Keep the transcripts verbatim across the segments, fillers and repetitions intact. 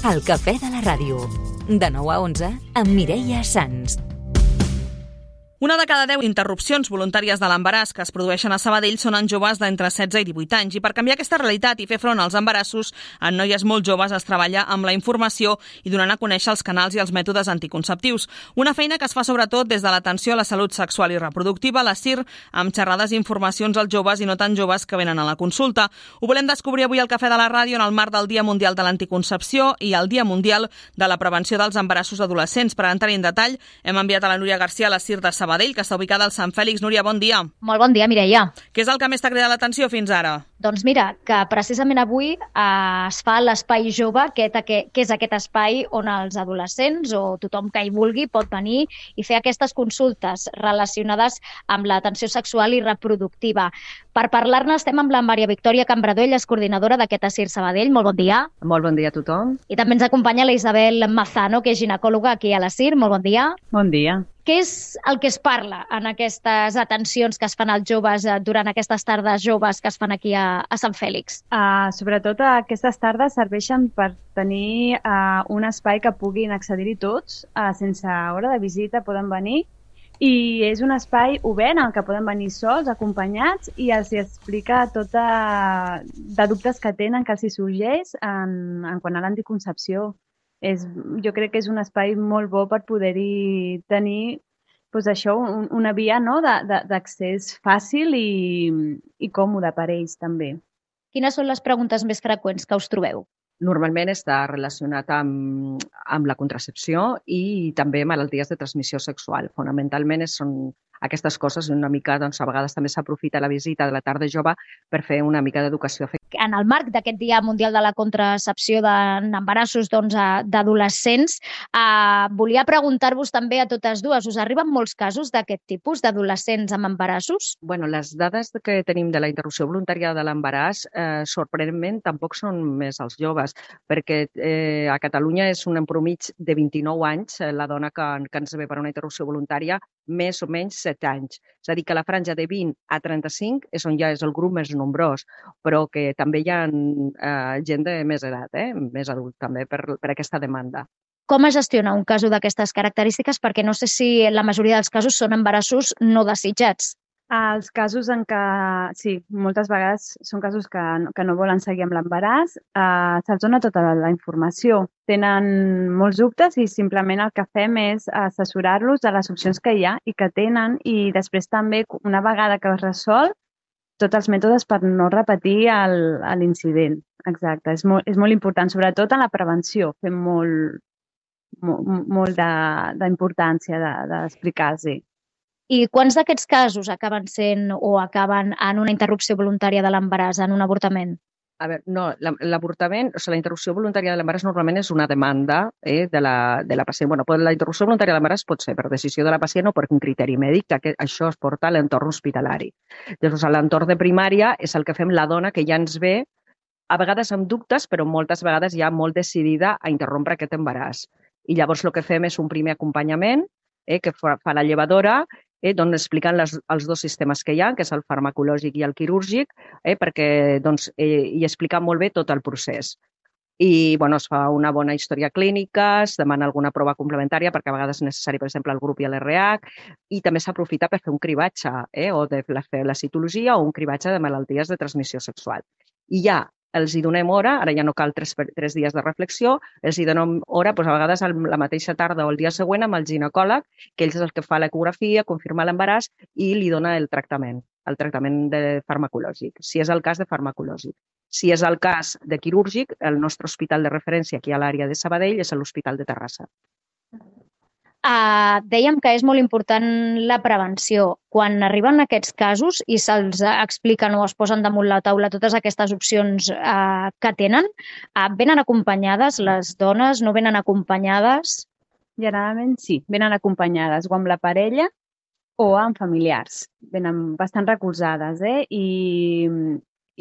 El cafè de la ràdio. De nou a onze, amb Mireia Sans. Una de cada deu interrupcions voluntàries de l'embaràs que es produeixen a Sabadell són en joves d'entre setze i divuit anys. I per canviar aquesta realitat i fer front als embarassos, en noies molt joves es treballa amb la informació i donant a conèixer els canals i els mètodes anticonceptius. Una feina que es fa sobretot des de l'atenció a la salut sexual i reproductiva, la S I R, amb xerrades i informacions als joves i no tan joves que venen a la consulta. Ho volem descobrir avui al Cafè de la Ràdio en el marc del Dia Mundial de l'Anticoncepció i el Dia Mundial de la Prevenció dels Embarassos Adolescents. Per entrar en detall, hem enviat a la Núria Garcia a la S I R de Sabadell, que està ubicada al Sant Fèlix. Núria, bon dia. Molt bon dia, Mireia. Què és el que més t'ha cridat l'atenció fins ara? Doncs mira, que precisament avui eh, es fa l'Espai Jove, que, que, que és aquest espai on els adolescents o tothom que hi vulgui pot venir i fer aquestes consultes relacionades amb l'atenció sexual i reproductiva. Per parlar-ne estem amb la Maria Victòria Cambradó, ella és coordinadora d'aquest A S I R Sabadell. Molt bon dia. Molt bon dia a tothom. I també ens acompanya la Isabel Mazano, que és ginecòloga aquí a l'A S I R. Molt bon dia. Bon dia. Què és el que es parla en aquestes atencions que es fan als joves durant aquestes tardes joves que es fan aquí a, a Sant Fèlix? Uh, sobretot aquestes tardes serveixen per tenir uh, un espai que puguin accedir-hi tots, uh, sense hora de visita poden venir, i és un espai obert en què poden venir sols, acompanyats, i els explica tot de, de dubtes que tenen, que els hi sorgeix en, en quant a l'anticoncepció. És, jo crec que és un espai molt bo per poder-hi tenir doncs això, un, una via, no, d'accés fàcil i, i còmode per ells també. Quines són les preguntes més freqüents que us trobeu? Normalment està relacionat amb, amb la contracepció i també malalties de transmissió sexual. Fonamentalment són aquestes coses, una mica, doncs, a vegades també s'aprofita la visita de la tarda jove per fer una mica d'educació afectiva. En el marc d'aquest Dia Mundial de la Contracepció d'embarassos doncs, d'adolescents, eh, volia preguntar-vos també a totes dues, us arriben molts casos d'aquest tipus d'adolescents amb embarassos? Bueno, les dades que tenim de la interrupció voluntària de l'embaràs, eh, sorprenentment, tampoc són més els joves, perquè eh, a Catalunya és un empromig de vint-i-nou anys, eh, la dona que, que ens ve per una interrupció voluntària, més o menys set anys. És a dir, que la franja de vint a trenta-cinc és on ja és el grup més nombrós, però que també hi ha eh, gent de més edat, eh? més adult també, per, per aquesta demanda. Com es gestiona un cas d'aquestes característiques? Perquè no sé si la majoria dels casos són embarassos no desitjats. Els casos en què, sí, moltes vegades són casos que, que no volen seguir amb l'embaràs, eh, se'ls dona tota la informació. Tenen molts dubtes i simplement el que fem és assessorar-los de les opcions que hi ha i que tenen, i després també, una vegada que es resol, tots els mètodes per no repetir l'incident. Exacte, és molt, és molt important, sobretot en la prevenció, fem molt, molt, molt d'importància d'explicar-los. I quants d'aquests casos acaben sent o acaben en una interrupció voluntària de l'embaràs, en un avortament? A veure, no, l'avortament, o sigui, la interrupció voluntària de l'embaràs normalment és una demanda eh, de, la, de la pacient. Bueno, la interrupció voluntària de l'embaràs pot ser per decisió de la pacient o per un criteri mèdic, que això es porta a l'entorn hospitalari. Llavors, a l'entorn de primària és el que fem la dona que ja ens ve, a vegades amb dubtes, però moltes vegades ja molt decidida a interrompre aquest embaràs. I llavors el que fem és un primer acompanyament eh, que fa la llevadora, Eh, doncs explicant les, els dos sistemes que hi ha, que és el farmacològic i el quirúrgic, eh, perquè doncs, eh, hi explica molt bé tot el procés. I bueno, es fa una bona història clínica, es demana alguna prova complementària, perquè a vegades és necessari, per exemple, el grup i l'R H, i també s'aprofita per fer un cribatge, eh, o de fer la citologia o un cribatge de malalties de transmissió sexual. I ja els hi donem hora, ara ja no cal tres, tres dies de reflexió, els hi donem hora, doncs a vegades la mateixa tarda o el dia següent amb el ginecòleg, que ell és el que fa l'ecografia, confirma l'embaràs i li dona el tractament, el tractament de farmacològic, si és el cas de farmacològic. Si és el cas de quirúrgic, el nostre hospital de referència aquí a l'àrea de Sabadell és l'Hospital de Terrassa. Uh, dèiem que és molt important la prevenció. Quan arriben aquests casos i se'ls expliquen o es posen damunt la taula totes aquestes opcions uh, que tenen, uh, venen acompanyades les dones, no venen acompanyades? Generalment sí, venen acompanyades o amb la parella o amb familiars. Venen bastant recolzades, eh? I,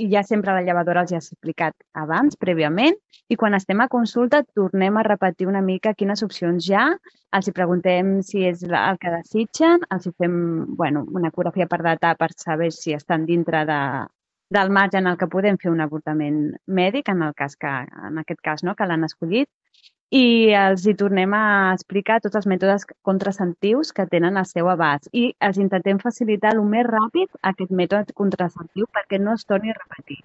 i ja sempre la llevadora els ha explicat abans, prèviament, i quan estem a consulta tornem a repetir una mica quines opcions hi ha, els hi preguntem si és el que desitgen, els hi fem bueno, una ecografia per datar per saber si estan dintre de, del marge en el que podem fer un avortament mèdic, en, el cas que, en aquest cas no, que l'han escollit, i els hi tornem a explicar tots els mètodes contraceptius que tenen al seu abast i els intentem facilitar el més ràpid aquest mètode contraceptiu perquè no es torni a repetir.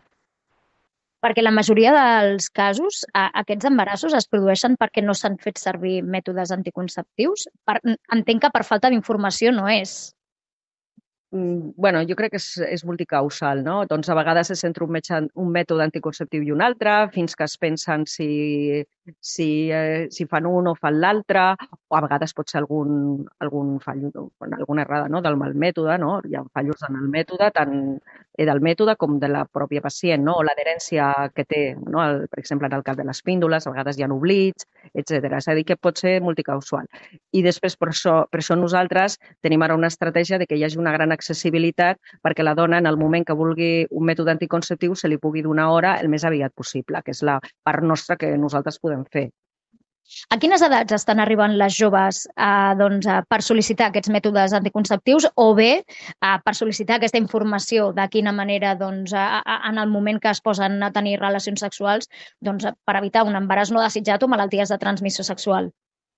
Perquè la majoria dels casos, aquests embarassos es produeixen perquè no s'han fet servir mètodes anticonceptius. Entenc que per falta d'informació no és. Bueno, jo crec que és, és multicausal, no? Doncs a vegades se centra un, metge, un mètode anticonceptiu i un altre, fins que es pensen si, si, eh, si fan un o fan l'altre, o a vegades pot ser algun, algun fall, alguna errada, no? Del mal mètode, no? Hi ha fallos en el mètode, tant del mètode com de la pròpia pacient, no? O l'adherència que té, no? El, per exemple, en el cas de les píndoles, a vegades hi ha oblits, etcètera. És a dir, que pot ser multicausal. I després, per això, per això nosaltres tenim ara una estratègia de que hi hagi una gran accessibilitat perquè la dona, en el moment que vulgui un mètode anticonceptiu, se li pugui donar hora el més aviat possible, que és la part nostra que nosaltres podem fer. A quines edats estan arribant les joves eh, doncs, per sol·licitar aquests mètodes anticonceptius o bé eh, per sol·licitar aquesta informació de quina manera doncs, a, a, en el moment que es posen a tenir relacions sexuals doncs, per evitar un embaràs no desitjat o malalties de transmissió sexual?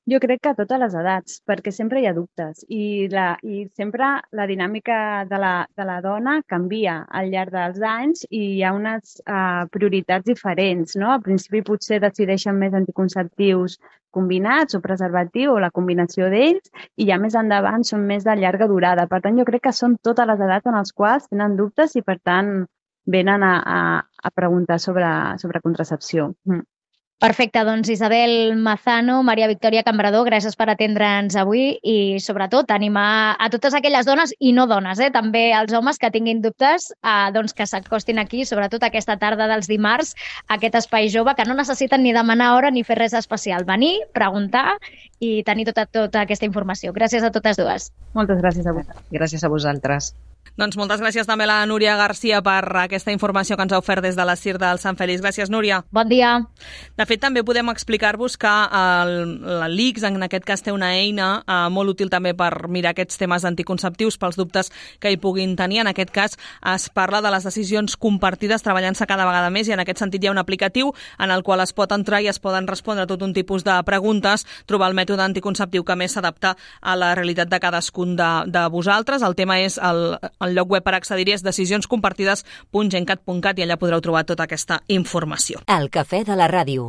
Jo crec que a totes les edats, perquè sempre hi ha dubtes i, la, i sempre la dinàmica de la, de la dona canvia al llarg dels anys i hi ha unes uh, prioritats diferents, no? Al principi potser decideixen més anticonceptius combinats o preservatiu o la combinació d'ells i ja més endavant són més de llarga durada. Per tant, jo crec que són totes les edats en les quals tenen dubtes i per tant venen a, a, a preguntar sobre, sobre contracepció. Mm. Perfecte, doncs Isabel Mazano, Maria Victòria Cambrador, gràcies per atendre'ns avui i sobretot animar a totes aquelles dones i no dones, eh, també als homes que tinguin dubtes eh, doncs que s'acostin aquí, sobretot aquesta tarda dels dimarts, a aquest espai jove que no necessiten ni demanar hora ni fer res especial. Venir, preguntar i tenir tota, tota aquesta informació. Gràcies a totes dues. Moltes gràcies a vosaltres. Gràcies a vosaltres. Doncs moltes gràcies també a la Núria Garcia per aquesta informació que ens ha ofert des de la C I R del Sant Feliç. Gràcies, Núria. Bon dia. De fet, també podem explicar-vos que l'I C S, en aquest cas, té una eina eh, molt útil també per mirar aquests temes anticonceptius pels dubtes que hi puguin tenir. En aquest cas, es parla de les decisions compartides treballant-se cada vegada més i en aquest sentit hi ha un aplicatiu en el qual es pot entrar i es poden respondre tot un tipus de preguntes, trobar el mètode anticonceptiu que més s'adapta a la realitat de cadascun de, de vosaltres. El tema és el El lloc web per accedir-hi és decisionscompartides punt gencat punt cat i allà podreu trobar tota aquesta informació. El cafè de la ràdio.